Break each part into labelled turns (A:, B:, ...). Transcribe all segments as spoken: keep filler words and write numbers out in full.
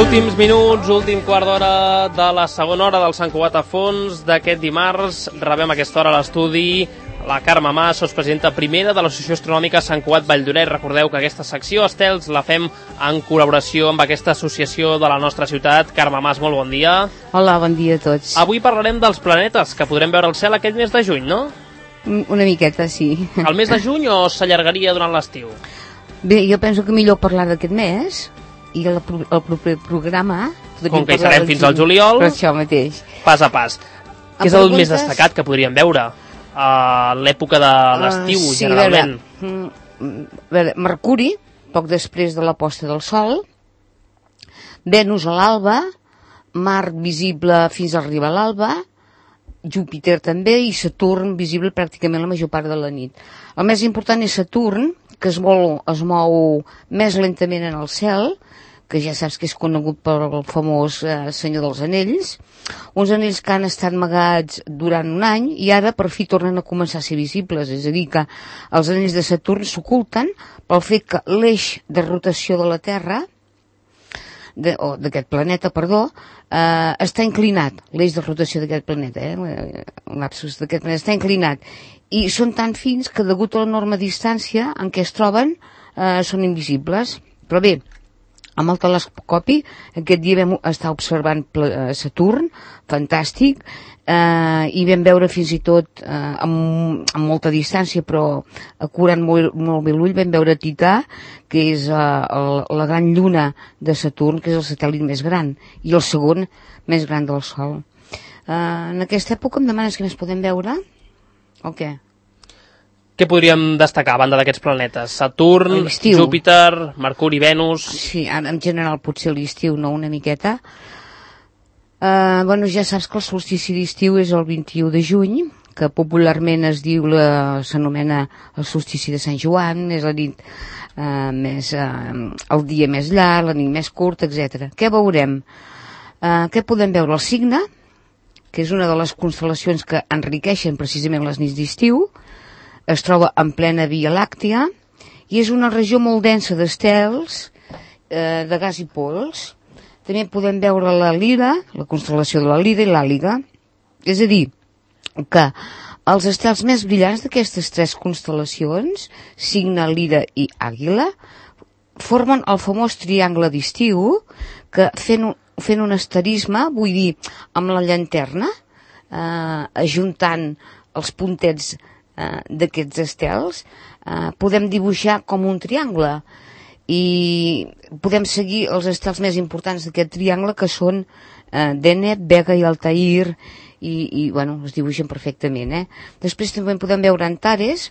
A: Últims minuts, últim quart d'hora de la segona hora del Sant Cugat a fons d'aquest dimarts. Rebem a aquesta hora a l'estudi la Carme Mas, sotspresidenta primera de l'Associació Astronòmica Sant Cugat Valldoreix. Recordeu que aquesta secció, Estels, la fem en col·laboració amb aquesta associació de la nostra ciutat. Carme Mas, molt bon dia.
B: Hola, bon dia a tots.
A: Avui parlarem dels planetes que podrem veure al cel aquest mes de juny, no?
B: Una miqueta, sí.
A: El mes de juny o s'allargaria durant l'estiu?
B: Bé, jo penso que millor parlar d'aquest mes i el, el proper programa...
A: Com que hi serem fins al juliol,
B: per això mateix.
A: Pas a pas. Què és el més destacat que podríem veure? A l'època de l'estiu, uh, sí, generalment.
B: A veure, a veure, Mercuri, poc després de la posta del Sol, Venus a l'alba, Mart visible fins a arribar a l'alba, Júpiter també, i Saturn visible pràcticament la major part de la nit. El més important és Saturn, que es mou, es mou més lentament en el cel, que ja saps que és conegut pel famós eh, Senyor dels Anells, uns anells que han estat amagats durant un any i ara per fi tornen a començar a ser visibles, és a dir que els anells de Saturn s'oculten pel fet que l'eix de rotació de la Terra, de, o d'aquest planeta, perdó, eh, està inclinat, l'eix de rotació d'aquest planeta, eh, un lapsus d'aquest planeta, està inclinat, i són tan fins que degut a l'enorme distància en què es troben eh, són invisibles. Però bé, amb el telescopi aquest dia vam estar observant Saturn, fantàstic, eh, i vam veure fins i tot eh, amb, amb molta distància, però acurant molt, molt bé l'ull, vam veure Tità, que és eh, el, la gran lluna de Saturn, que és el satèl·lit més gran, i el segon més gran del Sol. Eh, en aquesta època em demanes què més podem veure? O què?
A: Què podríem destacar a banda d'aquests planetes? Saturn, Júpiter, Mercuri, Venus...
B: Sí, en general potser l'estiu, no? Una miqueta. Uh, bueno, ja saps que el solstici d'estiu és el vint-i-u de juny, que popularment es diu, la, s'anomena el solstici de Sant Joan, és la nit uh, més... Uh, el dia més llarg, la nit més curta, etcètera. Què veurem? Uh, què podem veure? El Cigne, que és una de les constel·lacions que enriqueixen precisament les nits d'estiu, es troba en plena Via Làctia i és una regió molt densa d'estels, eh, de gas i pols. També podem veure la Lira, la constel·lació de la Lira i l'Àliga. És a dir, que els estels més brillants d'aquestes tres constel·lacions, Cigne, Lira i Àguila, formen el famós triangle d'estiu, que fent un, fent un asterisme, vull dir, amb la llanterna, eh, ajuntant els puntets d'aquests estels, eh, podem dibuixar com un triangle i podem seguir els estels més importants d'aquest triangle, que són eh, Deneb, Vega i Altair, i, i bueno, es dibuixen perfectament, eh? Després també podem veure Antares,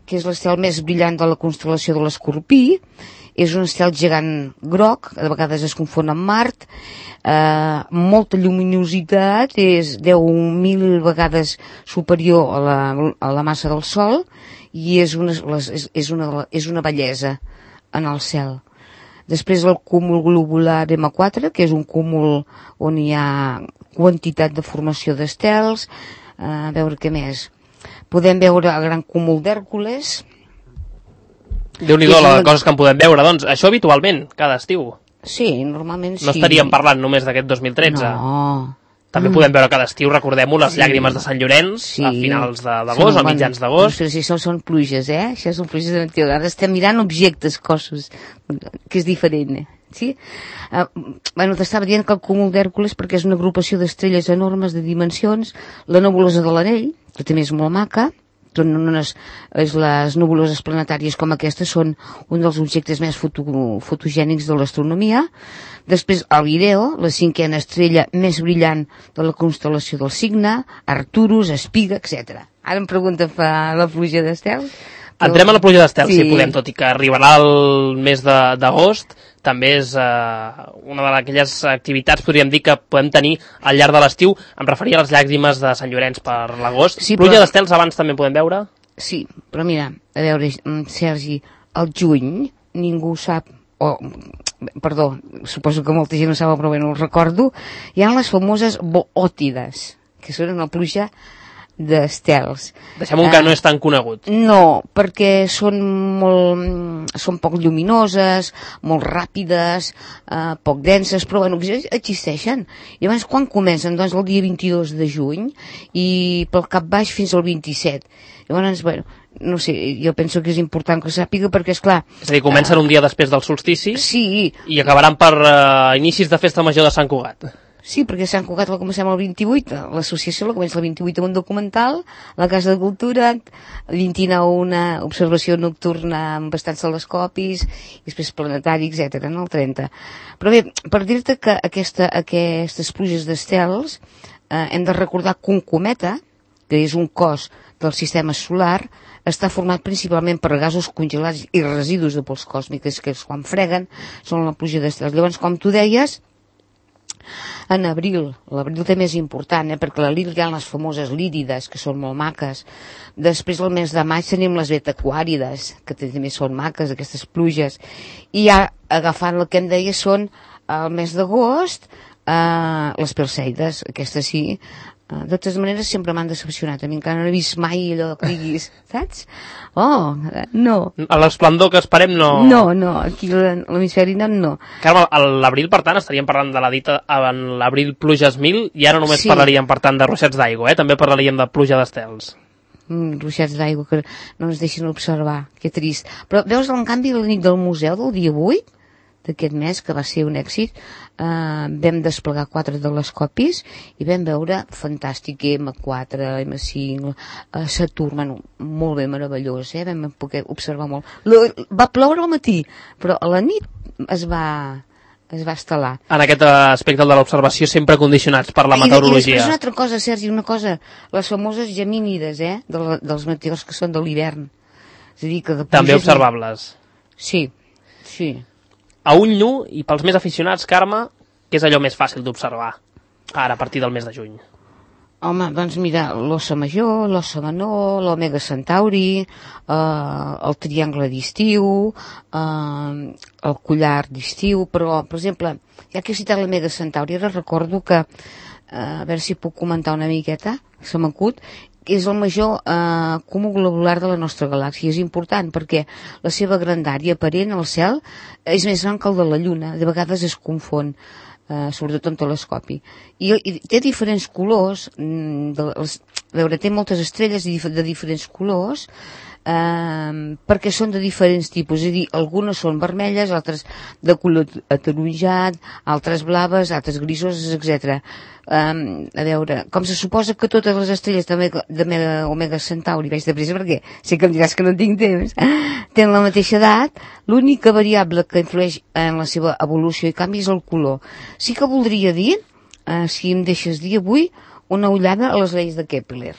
B: que és l'estel més brillant de la constel·lació de l'Escorpí. És un estel gegant groc, a vegades es confon amb Mart, eh, molta lluminositat, és deu mil vegades superior a la, a la massa del Sol, i és una, és, és, una, és una bellesa en el cel. Després el cúmul globular ema quatre, que és un cúmul on hi ha quantitat de formació d'estels. Eh, a veure què més. Podem veure el gran cúmul d'Hèrcules.
A: Déu-n'hi-do, les coses que en podem veure, doncs. Això habitualment, cada estiu.
B: Sí, normalment sí.
A: No estaríem parlant només d'aquest dos mil tretze.
B: No.
A: També mm. podem veure cada estiu, recordem-ho, les sí. llàgrimes de Sant Llorenç, sí. a finals d'agost, a mitjans d'agost.
B: Però si això són pluges, eh? Això són pluges de l'estiu. Ara estem mirant objectes, cossos, que és diferent, eh? Sí? Uh, bueno, t'estava dient que el cúmul d'Hèrcules, perquè és una agrupació d'estrelles enormes de dimensions, la nebulosa de l'Anell, que també és molt maca, són unes, les nebuloses planetàries com aquestes són un dels objectes més foto, fotogènics de l'astronomia. Després el Vireo, la cinquena estrella més brillant de la constel·lació del Cigne, Arcturus, Espiga, etcètera. Ara em pregunta fa la pluja d'estels. Però...
A: Entrem a la pluja d'estels, sí. si podem, tot i que arribarà el mes d'agost, també és eh, una d'aquelles activitats, podríem dir, que podem tenir al llarg de l'estiu. Em referia a les llàgrimes de Sant Llorenç per l'agost. Sí, pluja però... d'estels abans també podem veure?
B: Sí, però mira, a veure, Sergi, el juny ningú sap, o, perdó, suposo que molta gent ho sap, però bé, no ho recordo, hi ha les famoses boòtides, que són una pluja d'estels.
A: Deixem un que no és tan conegut.
B: No, perquè són molt, són poc lluminoses, molt ràpides, eh, poc denses, però bueno, existeixen. I llavors quan comencen? Doncs el dia vint-i-dos de juny i pel cap baix fins al vint-i-set. Llavors, bueno, no sé, jo penso que és important que ho sàpiga perquè, esclar...
A: És a dir, comencen uh, un dia després del solstici
B: sí,
A: i acabaran per uh, inicis de festa major de Sant Cugat.
B: Sí, perquè Sant Cugat la comencem el vint-i-vuit, l'associació la comença el vint-i-vuit amb un documental, la Casa de Cultura, el vint-i-nou una observació nocturna amb bastants telescopis, i després planetari, etcètera, no? El trenta. Però bé, per dir-te que aquesta, aquestes pluges d'estels eh, hem de recordar que un cometa, que és un cos del sistema solar, està format principalment per gasos congelats i residus de pols còsmiques que quan freguen són la pluja d'estels. Llavors, com tu deies, en abril, l'abril també és important, eh, perquè a l'abril hi ha les famoses lírides, que són molt maques. Després, el mes de maig, tenim les betaquàrides, que també són maques, aquestes pluges. I ja, agafant el que em deia, són el mes d'agost, eh, les perseides, aquestes sí. De totes maneres, sempre m'han decepcionat. A mi encara no he vist mai allò que diguis, saps? Oh, no.
A: A l'esplendor que esperem no...
B: No, no, aquí a l'hemisferi nord no.
A: Carme, a l'abril, per tant, estaríem parlant de la dita en l'abril pluges mil i ara només sí. parlaríem, per tant, de ruixats d'aigua, eh? També parlaríem de pluja d'estels.
B: Mm, ruixats d'aigua que no ens deixen observar, que trist. Però veus, en canvi, la nit del museu del dia vuit d'aquest mes, que va ser un èxit, eh, vam desplegar quatre telescopis i vam veure fantàstic ema quatre, ema cinc, eh, Saturn, bueno, molt bé, meravellós, eh? Vam poder observar molt. L va ploure al matí, però a la nit es va, es va estel·lar.
A: En aquest aspecte de l'observació sempre condicionats per la meteorologia.
B: I, i després una altra cosa, Sergi, una cosa, les famoses gemínides, eh? De la, dels meteors que són de l'hivern. És a dir, que de
A: també observables.
B: Sí, sí.
A: A ull nu, i pels més aficionats, Carme, què és allò més fàcil d'observar ara, a partir del mes de juny?
B: Home, doncs mira, l'Ossa Major, l'Ossa Menor, l'Omega Centauri, eh, el Triangle d'estiu, eh, el Collar d'estiu, però, per exemple, ja que he citat l'Omega Centauri, ara recordo que, eh, a veure si puc comentar una miqueta, se m'acut, és el major eh, cúmul globular de la nostra galàxia. És important perquè la seva grandària aparent al cel és més gran que el de la Lluna. De vegades es confon, eh, sobretot en telescopi. I, i té diferents colors, de, els, a veure, té moltes estrelles de, de diferents colors, eh, perquè són de diferents tipus. És a dir, algunes són vermelles, altres de color ataronjat, altres blaves, altres grisoses, etcètera. Um, a veure, com se suposa que totes les estrelles de, Mega, de Mega, Omega Centauri, vaig de pressa perquè sé que em diràs que no tinc temps, tenen la mateixa edat, l'única variable que influeix en la seva evolució i canvi és el color. Sí que voldria dir, uh, si em deixes dir avui, una ullada a les lleis de Kepler.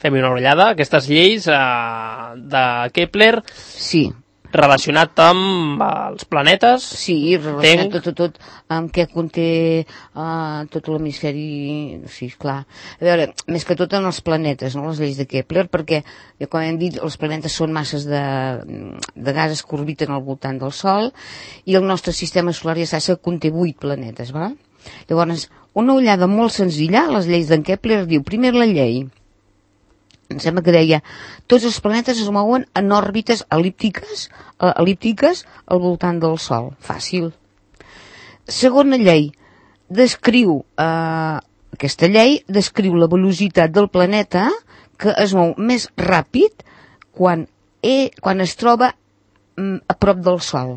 A: Fem-hi una ullada, aquestes lleis uh, de Kepler...
B: Sí.
A: Relacionat amb els planetes?
B: Sí, relacionat tot, tot, tot amb què conté uh, tot l'hemisferi, sí, clar. A veure, més que tot en els planetes, no? Les lleis de Kepler, perquè, com hem dit, els planetes són masses de, de gasos que orbiten al voltant del Sol, i el nostre sistema solar ja saps que conté vuit planetes, va? Llavors, una ullada molt senzilla, les lleis d'en Kepler diu, primer la llei, em sembla que deia, tots els planetes es mouen en òrbites elíptiques, eh, elíptiques al voltant del Sol. Fàcil. Segona llei, descriu, eh, aquesta llei descriu la velocitat del planeta que es mou més ràpid quan, e, quan es troba mm, a prop del Sol.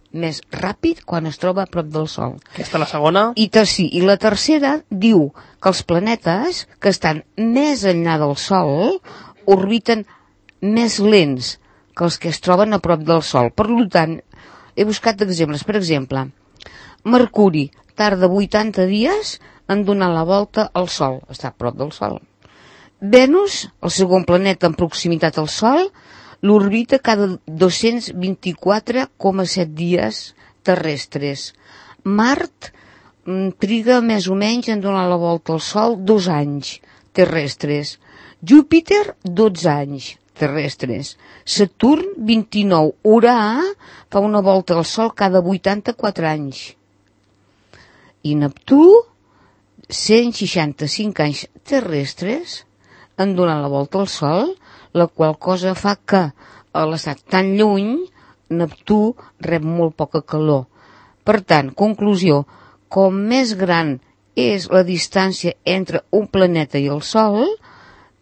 B: Més ràpid quan es troba a prop del Sol.
A: Aquesta és la segona.
B: I, sí, i la tercera diu que els planetes que estan més enllà del Sol orbiten més lents que els que es troben a prop del Sol. Per tant, he buscat exemples. Per exemple, Mercuri tarda vuitanta dies en donar la volta al Sol. Està a prop del Sol. Venus, el segon planeta en proximitat al Sol, l'orbita cada dos-cents vint-i-quatre coma set dies terrestres. Mart mm, triga més o menys en donar la volta al Sol dos anys terrestres. Júpiter, dotze anys terrestres. Saturn, vint-i-nou. Urà fa una volta al Sol cada vuitanta-quatre anys. I Neptú, cent seixanta-cinc anys terrestres han donat la volta al Sol, la qual cosa fa que a l'estat tan lluny Neptú rep molt poca calor. Per tant, conclusió, com més gran és la distància entre un planeta i el Sol,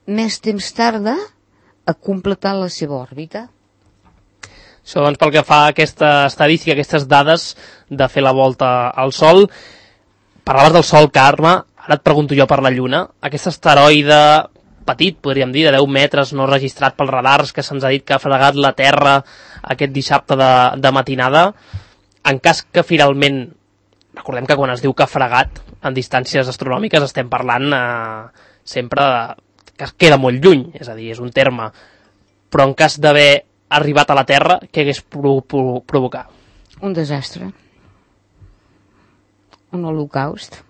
B: més temps tarda a completar la seva òrbita.
A: Això doncs pel que fa a aquesta estadística, aquestes dades de fer la volta al Sol. Parlaves del Sol, Carme, ara et pregunto jo per la Lluna. Aquest asteroide petit, podríem dir, de deu metres, no registrat pels radars, que se'ns ha dit que ha fregat la Terra aquest dissabte de, de matinada. En cas que finalment, recordem que quan es diu que ha fregat, en distàncies astronòmiques estem parlant eh, sempre de, que queda molt lluny, és a dir, és un terme. Però en cas d'haver arribat a la Terra, què hagués pro, pro, provocat?
B: Un desastre. Un holocaust.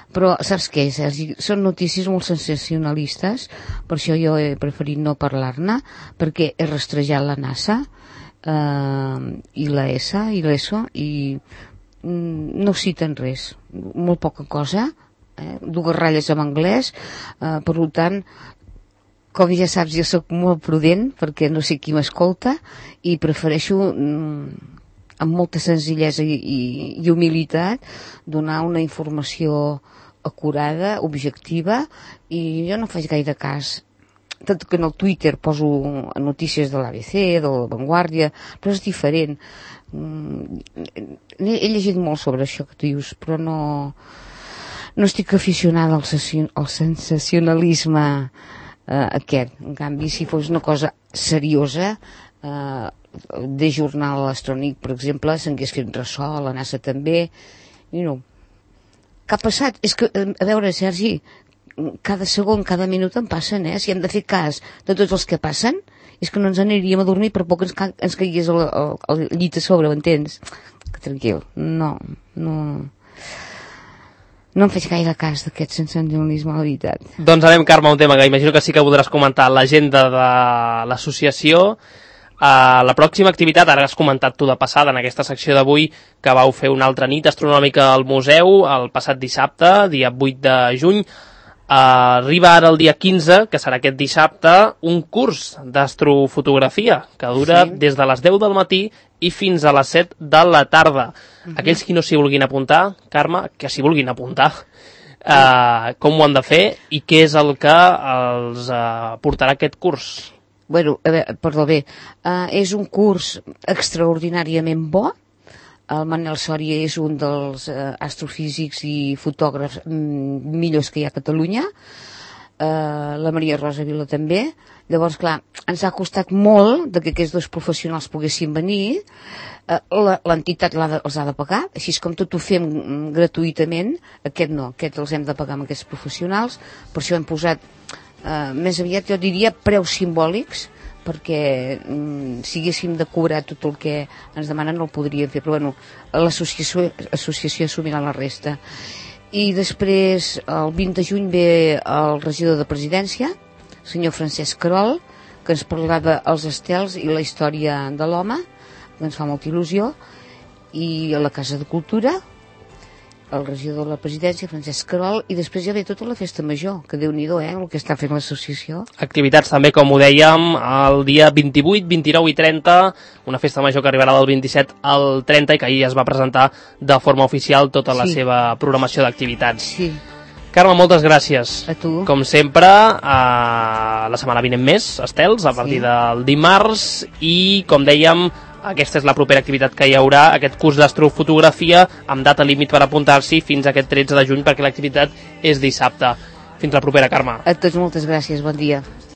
B: Però saps què, Sergi? Són notícies molt sensacionalistes, per això jo he preferit no parlar-ne, perquè he rastrejat la NASA eh, i la E S A i l'E S O i mm, no citen res, molt poca cosa, eh, dues ratlles en anglès, eh, per tant, com ja saps, jo sóc molt prudent perquè no sé qui m'escolta i prefereixo mm, amb molta senzillesa i, i, i humilitat donar una informació acurada, objectiva, i jo no faig gaire cas, tot que en el Twitter poso notícies de l'A B C, de la Vanguardia, però és diferent. He llegit molt sobre això que tu dius, però no no estic aficionada al, al sensacionalisme eh, aquest. En canvi, si fos una cosa seriosa, eh, de jornal astrònic, per exemple, s'hagués fet ressò, la NASA també, i no. Què ha passat? És que, a veure, Sergi, cada segon, cada minut en passen, eh? Si hem de fer cas de tots els que passen, és que no ens aniríem a dormir per poc ens, ca ens caigués el, el, el llit a sobre, m'entens? Tranquil, no, no... No em faig gaire cas d'aquest sensacionalisme, la veritat.
A: Doncs anem, Carme, a un tema que imagino que sí que voldràs comentar, l'agenda de l'associació. Uh, la pròxima activitat, ara has comentat tu de passada en aquesta secció d'avui, que vau fer una altra nit astronòmica al museu el passat dissabte, dia vuit de juny. Uh, arriba ara el dia quinze, que serà aquest dissabte, un curs d'astrofotografia que dura sí. des de les deu del matí i fins a les set de la tarda. Uh-huh. Aquells qui no s'hi vulguin apuntar, Carme, que s'hi vulguin apuntar, uh, com ho han de fer i què és el que els uh, portarà aquest curs?
B: Bueno, a veure, perdó, bé, uh, és un curs extraordinàriament bo. El Manel Sòria és un dels uh, astrofísics i fotògrafs mm, millors que hi ha a Catalunya. Uh, la Maria Rosa Vila també. Llavors, clar, ens ha costat molt de que aquests dos professionals poguessin venir. Uh, l'entitat els ha de pagar, així com tot ho fem gratuïtament. Aquest no, aquest els hem de pagar amb aquests professionals. Per això hem posat Uh, més aviat jo diria preus simbòlics, perquè mm, si haguéssim de cobrar tot el que ens demanen no el podríem fer, però bueno, l'associació associació assumirà la resta. I després el vint de juny ve el regidor de Presidència, el senyor Francesc Querol, que ens parlarà dels estels i la història de l'home, que ens fa molta il·lusió, i a la Casa de Cultura el regidor de la Presidència, Francesc Querol, i després ja ve tota la festa major, que Déu-n'hi-do, eh, el que està fent l'associació. Activitats
A: també, com ho dèiem, el dia vint-i-vuit, vint-i-nou i trenta, una festa major que arribarà del vint-i-set al trenta i que ahir es va presentar de forma oficial tota la sí. seva programació d'activitats.
B: Sí.
A: Carme, moltes gràcies.
B: A tu.
A: Com sempre, a la setmana vinent més, estels, a partir sí. del dimarts, i, com dèiem, aquesta és la propera activitat que hi haurà, aquest curs d'astrofotografia amb data límit per apuntar-s'hi fins a aquest tretze de juny, perquè l'activitat és dissabte. Fins la propera, Carme.
B: A tots moltes gràcies, bon dia.